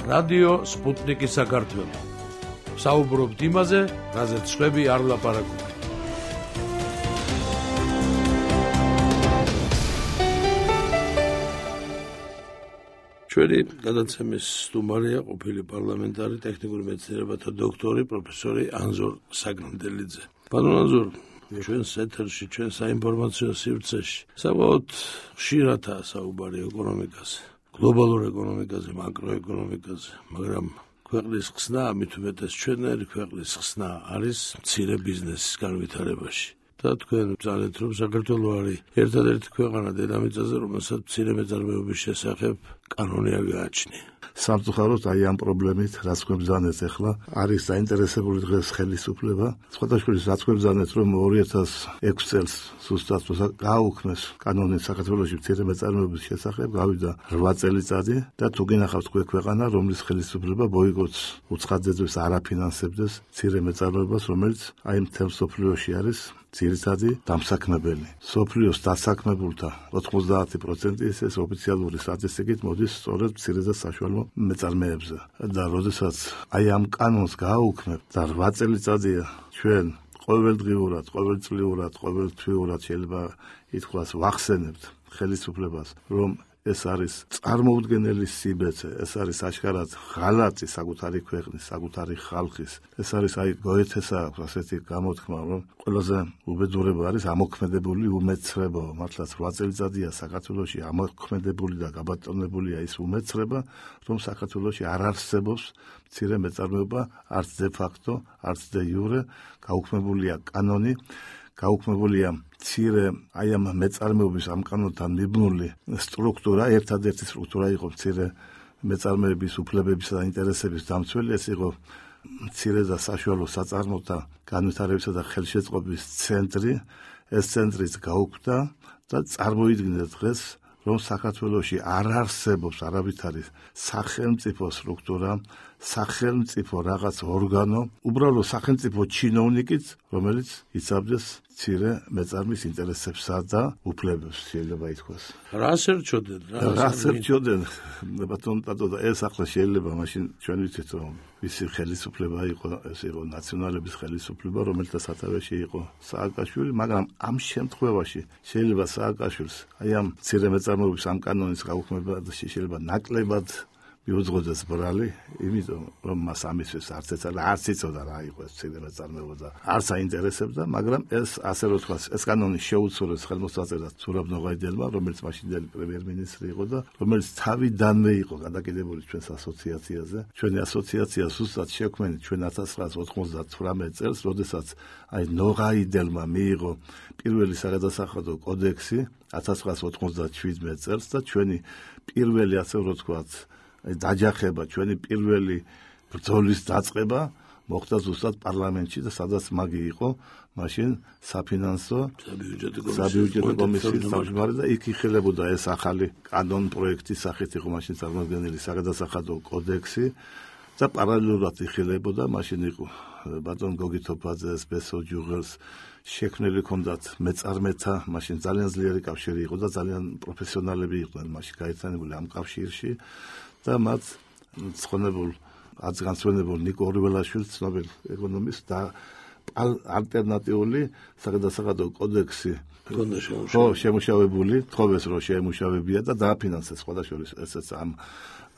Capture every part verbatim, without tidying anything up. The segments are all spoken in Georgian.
რადიო სპუტნიკი საქართველო. საუბრობთ იმაზე, რაზეც სხვები არ ლაპარაკობენ. ჩვენი გადაცემის სტუმარია ყოფილი პარლამენტარი ტექნიკური მეცნიერებათა დოქტორი პროფესორი ანზორ საგნდელიძე. ბატონ ანზორ, ჩვენს ეთერში, ჩვენ საინფორმაციო სივრცეში საბოლოოდ ხშირადაა საუბარი ეკონომიკაზე, გლობალურ ეკონომიკაზე, მაკროეკონომიკაზე, მაგრამ ქვეყნის ხსნა, ამით უმეტეს ჩვენერი ქვეყნის ხსნა არის მცირე ბიზნესის განვითარებაში. და თქვენ ძალეთ რომ საქართველო არის ერთადერთი ქვეყანა დედამიწაზე, რომელსაც მცირე მეწარმეობის შესახებ კანონი არ გააჩნია. სამწუხაროდ აი ამ პრობლემით, რაც გვებზანეთ ახლა, არის დაინტერესებული დღეს ხელისუფლება. სხვადასხვა რაც გვებზანეთ, რომ ორი ათას ექვსი წელს ზუსტად გააუქმეს კანონი საქართველოში მცირე მეწარმეობის შესახებ, გავიდა რვა წელიწადი და თუ გინახავთ ქვეყანა, რომლის ხელისუფლება ბოიკოტს უცხადებს, არ აფინანსებდეს მცირე მეწარმეობას, რომელიც აი მთელ მსოფლიოში არის ძირითადი დამსაქმებელი. სოფლიოს დასაქმებულთა ოცდაათი პროცენტი ეს ოფიციალური სტატისტიკით მოდის სწორედ მცირე და საშუალო მეწარმეებზე. და როდესაც აი ამ კანონს გააუქმებთ და რვა წელიწადია ჩვენ ყოველდღიურად, ყოველწლიურად, ყოველთვიურად შეიძლება ითქვას ვახსენებთ ხელისუფლებას, რომ ეს არის წარმოუდგენელი სიბეცე, ეს არის აშკარად ღალატი საკუთარი ქვეყნის, საკუთარი ხალხის. ეს არის აი გოეთესა ასეთი გამოთქმა, რომ ყველაზე უბედურება არის ამოქმედებული უმეცრება. მართლაც რვა წელიწადია საქართველოში ამოქმედებული და გაბატონებულია ის უმეცრება, რომ საქართველოში არ არსებობს მცირე მეწარმეობა, არც დე ფაქტო, არც დე იურე, გაუქმებულია კანონი, გაუქმებულია მცირე აი ამ მეწარმეობის ამ კანონთან მიბნული სტრუქტურა, ერთადერთი სტრუქტურა იყო მცირე მეწარმეების უფლებებისა და ინტერესების დამცველი, ეს იყო მცირე და საშუალო საწარმოთა განვითარებისა და ხელშეწყობის ცენტრი. ეს ცენტრიც გაუქმდა და წარმოიდგინე დღეს, რომ საქართველოში არ არსებობს არავითარი სახელმწიფო სტრუქტურა, სახელმწიფო რაღაც ორგანო, უბრალოდ სახელმწიფო ჩინოვნიკიც, რომელიც იცავდეს მცირე მეწარმის ინტერესებსა და უფლებებს, შეიძლება ითქვას. რას ერჩოდენ? რას ერჩოდენ? ბატონ ტატო, ეს ახლა შეიძლება მაშინ ჩვენ ვიცით, რომ ვისი ხელისუფლება იყო, ეს იყო ნაციონალების ხელისუფლება, რომელთა სათავეში იყო სააკაშვილი, მაგრამ ამ შემთხვევაში შეიძლება სააკაშვილს აი ამ მცირე მეწარმეობის ამ კანონის გაუქმებაში შეიძლება ნაკლებად მიუძღოდეს ბრალი, იმიტომ რომ მას ამისთვის არც ეცადა, არც იცოდა რა იყო ეს მცირე მეწარმეობა და არც აინტერესებდა, მაგრამ ეს ასე რომ თქვა, ეს კანონი შეუცვლელს ხელმოსაწერად ზურაბ ნოღაიდელმა, რომელიც მაშინდელი პრემიერ-მინისტრი იყო და რომელიც თავიდანვე იყო გადაკიდებული ჩვენს ასოციაციაზე. ჩვენი ასოციაცია ზუსტად შექმნილი ჩვენ ათას ცხრაას ოთხმოცდათვრამეტ წელს, როდესაც აი ნოღაიდელმა მიიღო პირველი საგადასახადო კოდექსი ათას ცხრაას ოთხმოცდაშვიდმეტ წელს და ჩვენი პირველი ასე რომ თქვა დაჯახება, ჩვენი პირველი ბრძოლის დაწყება მოხდა ზუსტად პარლამენტში და სადაც მაგი იყო მაშინ საფინანსო საბიუჯეტო კომისიის თავმჯდომარე და იქ იხილებოდა ეს ახალი კანონ პროექტის სახით იყო მაშინ წარმოდგენილი საგადასახადო კოდექსი და პარალელურად იხილებოდა მაშინ იყო ბატონ გოგი თოფაძეს, ბესო ჯუღელს შექმნილი ჰქონდათ მეწარმეთა, მაშინ ძალიან ძლიერი კავშირი იყო და ძალიან პროფესიონალები იყვნენ მაშინ გაერთიანებული ამ კავშირში და მათ ცხონებულ აცგანცვენებულ ნიკო ორიველაშვილს, ცნობილ ეკონომისტს და ალტერნატიული საგადასახადო კოდექსი ხო შემუშავებული, თხოვეს რომ შეემუშავებია და დააფინანსეს სხვადასხვა ესეც ამ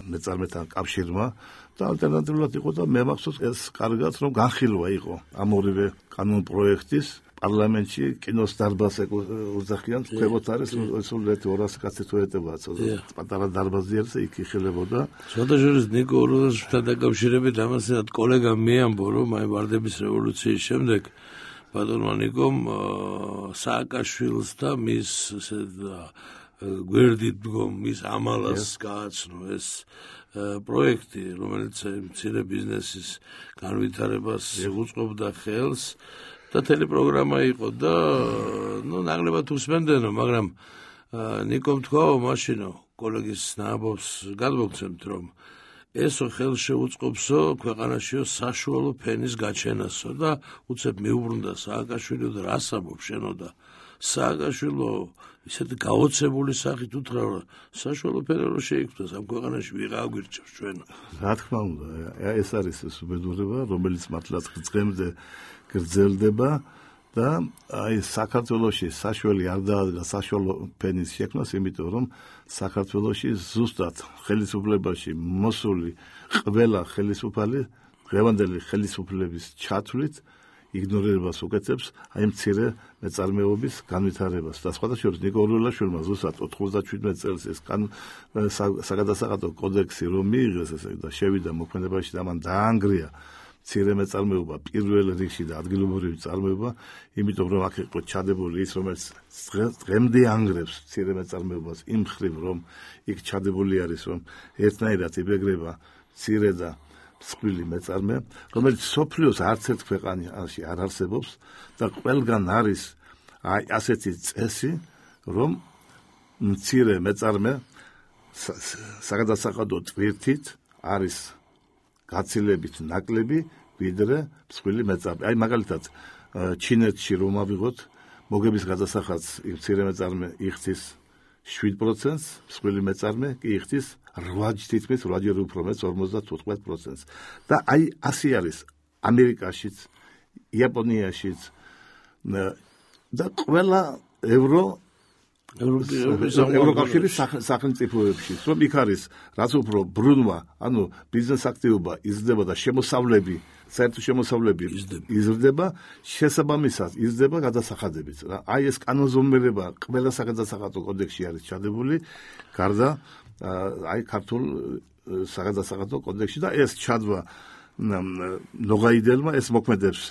მეწარმეთა კავშირმა და ალტერნატიულად იყო და მე მახსოვს ეს კარგად რომ განხილვა იყო ამ ორივე კანონ პროექტის პარლამენტში კინოს დარბაზს უძახიან, ქვემოთ არის სულ ორასი კაცი თუ ეტება, პატარა დარბაზი არის, იქ იხილებოდა. სხვადასხვა ნიკო ორიველაშვილთან დაკავშირებით ამასთან კოლეგამ მეამბო, რომ აი ვარდების რევოლუციის შემდეგ ბატონმა ნიკომ სააკაშვილს და მის გვერდით დგომ მის ამალას გააცნო ეს პროექტი, რომელიც მცირე ბიზნესის განვითარებას უწყობდა ხელს და ტელეპროგრამა იყო და ნუ ნაკლებად უსმენდენო, მაგრამ ნიკომ თქვაო მაშინო კოლეგის ნაბობს გადმოგცემთ, რომ ესო ხელ შეუწყობსო ქვეყანაშიო საშუალო ფენის გაჩენასო და უცებ მიუბრუნდა სააკაშვილი და რას ამბობ შენო და სააკაშვილო ისეთი გაოცებული სახით უთხრა, საშუალო ფერარო შეიქმნას ამ ქვეყანაში ვიღა აგვირჩევს ჩვენ. რა თქმა უნდა, ეს არის ეს უბედურება, რომელიც მართლაც ღმრთზე გრძელდება და აი საქართველოში საშველი არ დაადგა საშუალო ფენის შექმნას, იმიტომ რომ საქართველოში ზუსტად ხელისუფლებაში მოსული ყველა ხელისუფალი დღევანდელი ხელისუფლების ჩათვლით იგნორირებას უკეთებს აი მცირე მეწარმეობის განვითარებას და სხვადასხვა ნიკო ურველაშვილმა ზუსტად ოთხმოცდაშვიდმეტ წელს ეს საგადასახადო კოდექსი რომ მიიღეს ესე და შევიდა მოქმედებაში და მან დაანგრია მცირე მეწარმეობა პირველ რიგში და ადგილობრივი წარმოება, იმიტომ რომ აქ იყო ჩადებული ის, რომელიც დღემდე ანგრევს მცირე მეწარმეობას იმ მხრივ, რომ იქ ჩადებული არის, რომ ერთნაირად იბეგრება მცირე და მსხვილი მეწარმე, რომელიც სოფლიოს არც ერთ ქვეყანაში არ არსებობს და ყველგან არის აი ასეთი წესი, რომ მცირე მეწარმე საგადასახადო ტვირთით არის გაცილებით ნაკლები ვიდრე მსხვილი მეწარმე. აი მაგალითად ჩინეთში რომ ავიღოთ, მოგების გადასახადს მცირე მეწარმე იხდის შვიდ პროცენტს, მსხვილი მეწარმე კი იხდის რვა თითქმის რვაჯერ უფრო მეტს ორმოცდათხუთმეტ პროცენტს. და აი ასე არის ამერიკაშიც, იაპონიაშიც და ყველა ევრო ევროკავშირის სახელმწიფოებში, რომ იქ არის რაც უფრო ბრუნვა, ანუ ბიზნეს აქტივობა იზრდება და შემოსავლები, საერთო შემოსავლები იზრდება, შესაბამისად იზრდება გადასახადებიც. აი ეს კანონზომიერება ყველა საგადასახადო კოდექსში არის ჩადებული, გარდა აი ქართულ საგადასახადო კოდექსში და ეს ჩადვა ნოღაიდელმა ეს მოქმედებს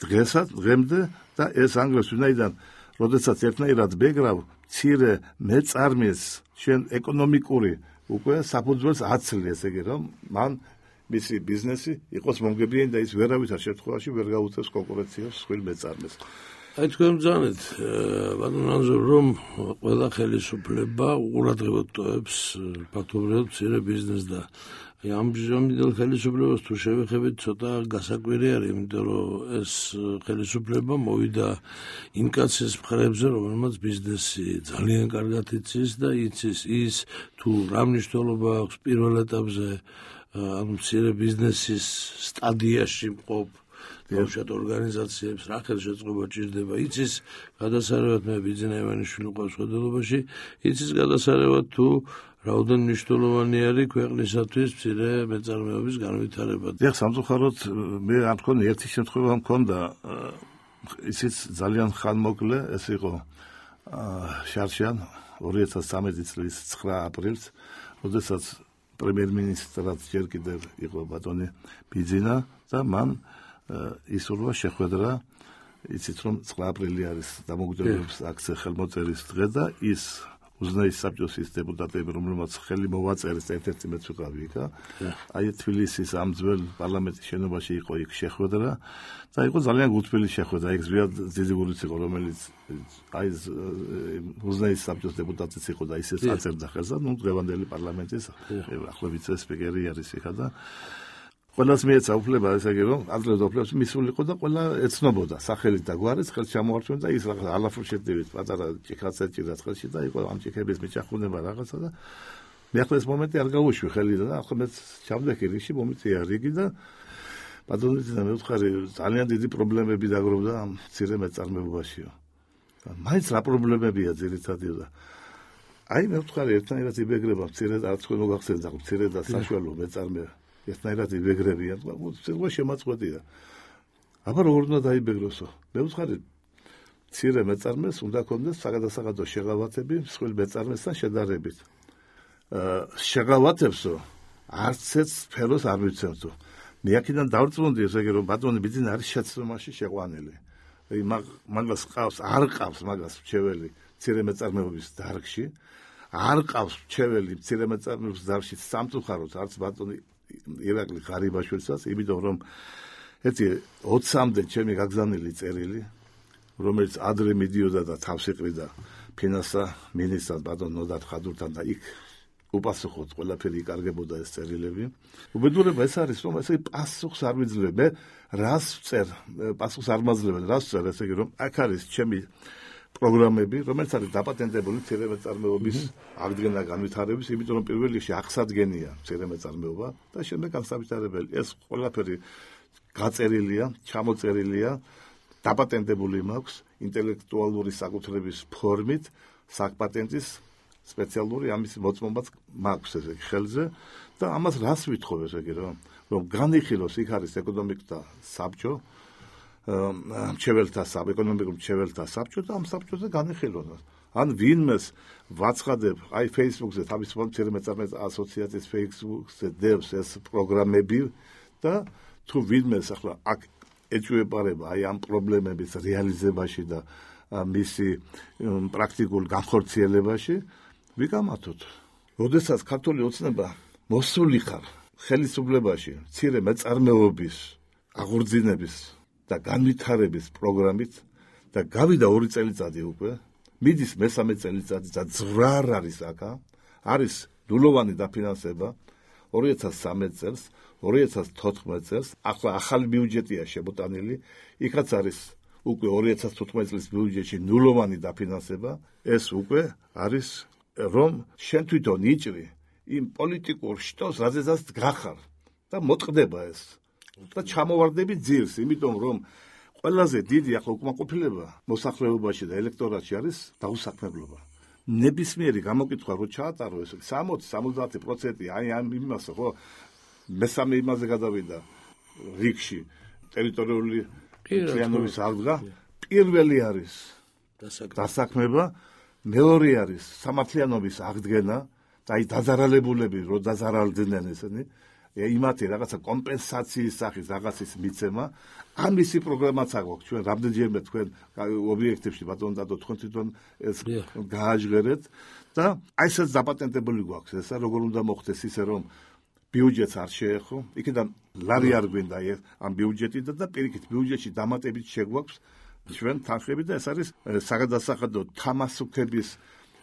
დღესაც, დღემდე და ეს ანგრევს ვინაიდან როდესაც ერთნაირად ბეგრავ მცირე მეწარმეს შენ ეკონომიკური უკვე საფუძველს აცლი, ესე იგი რომ მან მისი ბიზნესი იყოს მომგებიანი და ის ვერავითარ შემთხვევაში ვერ გაუწევს კონკურენციას მსხვილ მეწარმეს. აი თქვენ ბრძანეთ, ბატონ ანზორ, რომ ყველა ხელისუფლება უყურადღებოდ ტოვებს ფაქტობრივად მცირე ბიზნესს და აი ამ ამიტომ ხელისუფლებას თუ შევეხებით ცოტა გასაკვირი არის, იმიტომ რომ ეს ხელისუფლება მოვიდა ინკაციის მხრებზე, რომელმაც ბიზნესი ძალიან კარგად იცის და იცის ის თუ რა მნიშვნელობა აქვს პირველ ეტაპზე ამ მცირე ბიზნესის სტადიაში მყოფ ბავშვად ორგანიზაციებს რა ხელშეწყობა ჭირდება, იცის გადასარევად მე ბიძინა ივანიშვილი ყავს ხელმძღვანელობაში, იცის გადასარევად თუ რაოდენ მნიშვნელოვანი არის ქვეყნისათვის მცირე მეწარმეობის განვითარება. დიახ, სამწუხაროდ მე არ მქონი ერთი შემთხვევა მქონდა, ისიც ძალიან ხანმოკლე, ეს იყო შარშან ორი ათას სამი წლის ცხრა აპრილს, როდესაც პრემიერ-მინისტრად ჯერ კიდევ იყო ბატონი ბიძინა და მან ისურვა შეხვედრა, იცით რომ ცხრა აპრილი არის დამოუკიდებლობის აქცია ხელმოწერის დღე და ის უზნაის საბჭოს ის დეპუტატები, რომლებმაც ხელი მოვაწერეს ერთ-ერთი მეც ვიყავი იქა. აი თბილისის ამ ძველ პარლამენტის შენობაში იყო იქ შეხვედრა და იყო ძალიან გულთბილი შეხვედრა. იქ ზვიად ძიძიგურიც იყო, რომელიც აი უზნაის საბჭოს დეპუტატიც იყო და ისეც აწერდა ხელს და ნუ დღევანდელი პარლამენტის ახლა ვიცე-სპიკერი არის იქა და ყველას მიეცა უფლება, ესე იგი რომ ადრე უფლებს მისულიყო და ყველა ეცნობოდა სახელით და გვარით ხელს ჩამოართვენ და ის რაღაც ალაფრუშეთივით პატარა ჭიქაც ეჭირა ხელში და იყო ამ ჭიქების მიჭახუნება რაღაცა და მე ახლა ეს მომენტი არ გავუშვი ხელიდან და ახლა მეც ჩავდექი რიგში მომიწია რიგი და ბატონიძე მე ვთხარი ძალიან დიდი პრობლემები დაგროვდა ამ მცირე მეწარმეობაშიო. მაინც რა პრობლემებია ძირითადად და აი მე ვთხარი ერთნაირად იბეგრება მცირე და არც თქვენ მოგახსენდა მცირე და საშუალო მეწარმე ერთნაირად იბეგრებიან, უცებო შემაწყვეტია. აბა როგორ უნდა დაიბეგროსო? მე ვთხარი მცირე მეწარმეს უნდა ქონდეს საგადასახადო შეღავათები მსხვილ მეწარმესთან შედარებით. შეღავათებსო არც ერთ სფეროს არ მიცემთო. მე აქედან დავწმუნდი, ესე იგი რომ ბატონი ბიძინა არის შეცდომაში შეყვანილი. აი მაგას ყავს, არ ყავს მაგას მრჩეველი მცირე მეწარმეობის დარგში, არ ყავს მრჩეველი მცირე მეწარმეობის დარგში სამწუხაროდ არც ბატონი ირაკლი ღარიბაშვილსაც, იმიტომ რომ ერთი ოცამდე ჩემი გაგზავნილი წერილი, რომელიც ადრე მიდიოდა და თავს იყრიდა ფინანსა მინისტრად ბატონ ნოდარ ხადურთან და იქ უპასუხოდ ყველაფერი იკარგებოდა ეს წერილები. უბედურება ეს არის, რომ ესე პასუხს არ ვიძლებ. მე რას ვწერ, პასუხს არ მაძლევენ, რას ვწერ, ესე იგი რომ აქ არის ჩემი პროგრამები, რომელიც არის დაპატენტებული მცირე მეწარმეობის აღდგენა განვითარების, იმიტომ რომ პირველ რიგში აღსადგენია მცირე მეწარმეობა და შემდეგ განსაკუთრებული ეს ყველაფერი გაწერილია, ჩამოწერილია, დაპატენტებული მაქვს ინტელექტუალური საკუთრების ფორმით, საკპატენტის სპეციალური ამის მოწმობაც მაქვს ესე ხელზე და ამას რას ვითხოვ ესე იგი რომ რომ განიხილოს იქ არის ეკონომიკთა საბჭო, მრჩეველთა საბჭო, ეკონომიკურ მრჩეველთა საბჭო და ამ საბჭოზე განიხილოს. ან ვინმეს ვაცხადებ, აი Facebook-ზე თავის მცირე მეწარმეთა ასოციაციის Facebook-ზე დევს ეს პროგრამები და თუ ვინმეს ახლა აქ ეჭვებარება აი ამ პრობლემების რეალიზებაში და მისი პრაქტიკულ განხორციელებაში ვიგამართოთ. როდესაც ქართული ოცნება მოსული ხარ ხელისუფლებაში მცირე მეწარმეობის აღორძინების და განვითარების პროგრამით და გავიდა ორი წელიწადი უკვე, მიდის მესამე წელიწადი და ძვრარ არის აქა, არის ნულოვანი დაფინანსება ორი ათას სამი წელს, ორი ათას თოთხმეტ წელს, ახლა ახალი ბიუჯეტია შემოტანილი, იქაც არის უკვე ორი ათას თოთხმეტ წლის ბიუჯეტში ნულოვანი დაფინანსება, ეს უკვე არის რომ შენ თვითონ იჭრი იმ პოლიტიკურ შტოს, რაზეც გახარ და მოტყდება ეს. და ჩამოვარდები ძირს, იმიტომ რომ ყველაზე დიდი ახლა უკმაყოფილება მოსახლეობაში და ელექტორატში არის დაუსაქმებლობა. ნებისმიერი გამოკითხვა რო ჩაატარო ეს სამოცი სამოცდაათი პროცენტი აი ამ იმასო ხო მესამე იმაზე გადავიდა რიგში ტერიტორიული მთლიანობის აღდგა, პირველი არის დასაქმება, მეორე არის სამართლიანობის აღდგენა და აი დაზარალებულები რო დაზარალდნენ ესენი იმათი რაღაცა კომპენსაციის სახის რაღაცის მიცემა, ამისი პროგრამაც აქვს ჩვენ რამდენჯერმე თქვენ ობიექტებში ბატონ დადო თქვენ თვითონ ეს გააჟღერეთ და აი ესეც დაპატენტებული გვაქვს ესა როგორ უნდა მოხდეს ისე რომ ბიუჯეტს არ შეეხო, იქიდან ლარი არ გვინდა ამ ბიუჯეტიდან და პირიქით ბიუჯეტში დამატებით შეგვაქვს ჩვენ თანხები და ეს არის საგადასახადო თამასუქების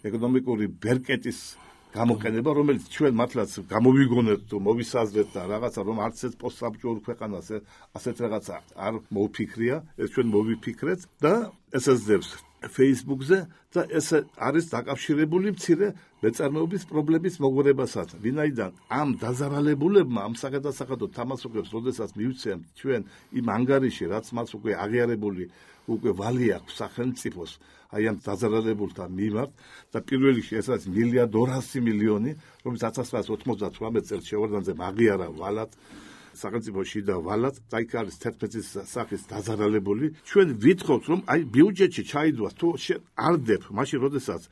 ეკონომიკური ბერკეტის გამოყენება, რომელიც ჩვენ მართლაც გამოვიგონეთ თუ მოვისაზრეთ და რაღაცა რომ არც ეს პოსტსაბჭოურ ქვეყანას ასეთ რაღაცა არ მოვფიქრია, ეს ჩვენ მოვიფიქრეთ და ესეც დევს Facebook-ზე და ეს არის დაკავშირებული მცირე მეწარმეობის პრობლემის მოგვარებასთან. ვინაიდან ამ დაზარალებულებმა ამ საგადასახადო თამასუქებს, როდესაც მივცემთ ჩვენ იმ ანგარიში, რაც მას უკვე აღიარებული უკვე ვალი აქვს სახელმწიფოს აი ამ დაზარალებულთა მიმართ და პირველ რიგში ეს არის მილიარდ ორასი მილიონი, რომელიც ათას ცხრაას ოცდათვრამეტ წელს შევარდნაძემ აღიარა ვალად სახელმწიფოში და ვალად და იქ არის თერთმეტი სახის დაზარალებული. ჩვენ ვითხოვთ რომ აი ბიუჯეტში ჩაიდვას თუ არ დებ, მაშინ როდესაც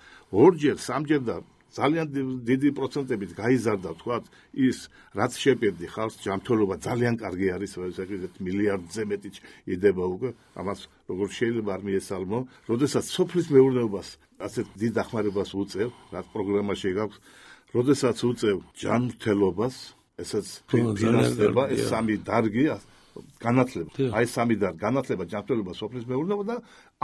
ორჯერ, სამჯერ და ძალიან დიდი პროცენტებით გაიზარდა თქვათ ის რაც შეპირდი ხალხს ჯანმრთელობა ძალიან კარგი არის ვეცადეთ მილიარდზე მეტი იდება უკვე ამას როგორ შეიძლება არ მიესალმო როდესაც სოფლის მეურნეობას ასეთ დიდ დახმარებას უწევ რაც პროგრამაში გაქვს როდესაც უწევ ჯანმრთელობას ესაც ფინანსდება ეს სამი დარგი განათლება აი სამი დარგი განათლება ჯანმრთელობა სოფლის მეურნეობა და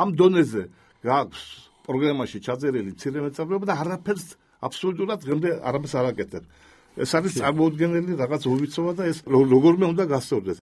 ამ დონეზე გაქვს პროგრამაში ჩაწერილი მცირე მეწარმეობა და არაფერს აბსოლუტურად დღემდე არაფერს არ აკეთებ. ეს არის წარმოუდგენელი რაღაც უვიცოვა და ეს როგორმე უნდა გასწორდეს.